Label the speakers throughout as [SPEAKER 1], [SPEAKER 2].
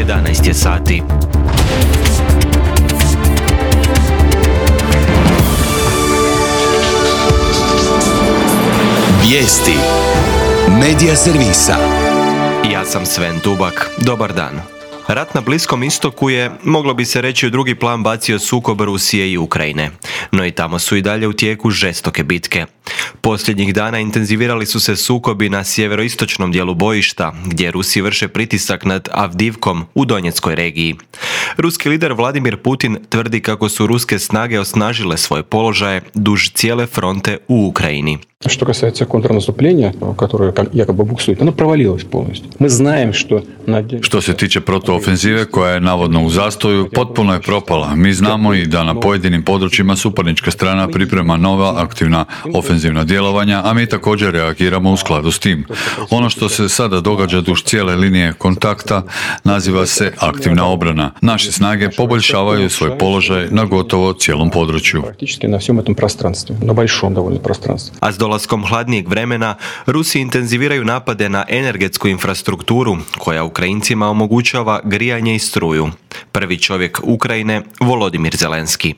[SPEAKER 1] 11 je sati.
[SPEAKER 2] Vijesti Medija servisa.
[SPEAKER 1] Ja sam Sven Tubak. Dobar dan. Rat na Bliskom istoku je, moglo bi se reći, u drugi plan bacio sukob Rusije i Ukrajine. No i tamo su i dalje u tijeku žestoke bitke. Posljednjih dana intenzivirali su se sukobi na sjeveroistočnom dijelu bojišta, gdje Rusi vrše pritisak nad Avdivkom u Donjeckoj regiji. Ruski lider Vladimir Putin tvrdi kako su ruske snage osnažile svoje položaje duž cijele fronte u Ukrajini.
[SPEAKER 3] Что касается контрнаступления, которое якобы буксует, оно провалилось полностью. Мы знаем, что...
[SPEAKER 4] Što se tiče protuofenzive koja je navodno u zastoju, potpuno je propala. Mi znamo i da na pojedinim područjima suparnička strana priprema nova aktivna ofenzivna djelovanja, a mi također reagiramo u skladu s tim. Ono što se sada događa duž cijele linije kontakta naziva se aktivna obrana. Naše snage poboljšavaju svoj položaj na gotovo cijelom području.
[SPEAKER 3] Praktički na всем этом пространстве, на большом довольно пространстве.
[SPEAKER 1] A s dolaskom hladnijeg vremena, Rusi intenziviraju napade na energetsku infrastrukturu, koja Ukrajincima omogućava grijanje i struju. Prvi čovjek Ukrajine, Volodimir Zelenski.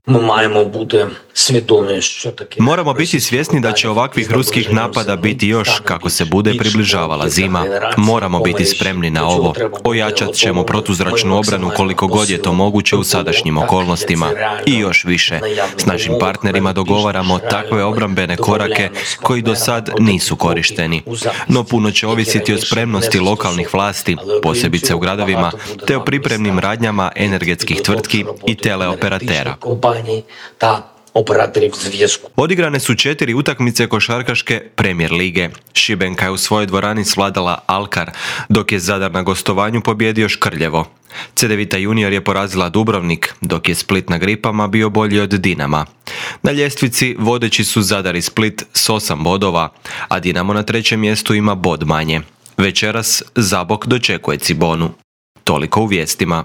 [SPEAKER 1] Moramo biti svjesni da će ovakvih ruskih napada biti još kako se bude približavala zima. Moramo biti spremni na ovo. Ojačat ćemo protuzračnu obranu koliko god je to moguće u sadašnjim okolnostima. I još više. S našim partnerima dogovaramo takve obrambene korake koji do sad nisu korišteni. No puno će ovisiti o spremnosti lokalnih vlasti, posebice u gradovima, te o pripremnim radnjama energetskih tvrtki i teleoperatera. Odigrane su 4 utakmice košarkaške Premier lige. Šibenka je u svojoj dvorani svladala Alkar, dok je Zadar na gostovanju pobijedio Škrljevo. Cedevita Junior je porazila Dubrovnik, dok je Split na Gripama bio bolji od Dinama. Na ljestvici vodeći su Zadar i Split s 8 bodova, a Dinamo na 3. mjestu ima bod manje. Večeras Zabok dočekuje Cibonu. Toliko u vijestima.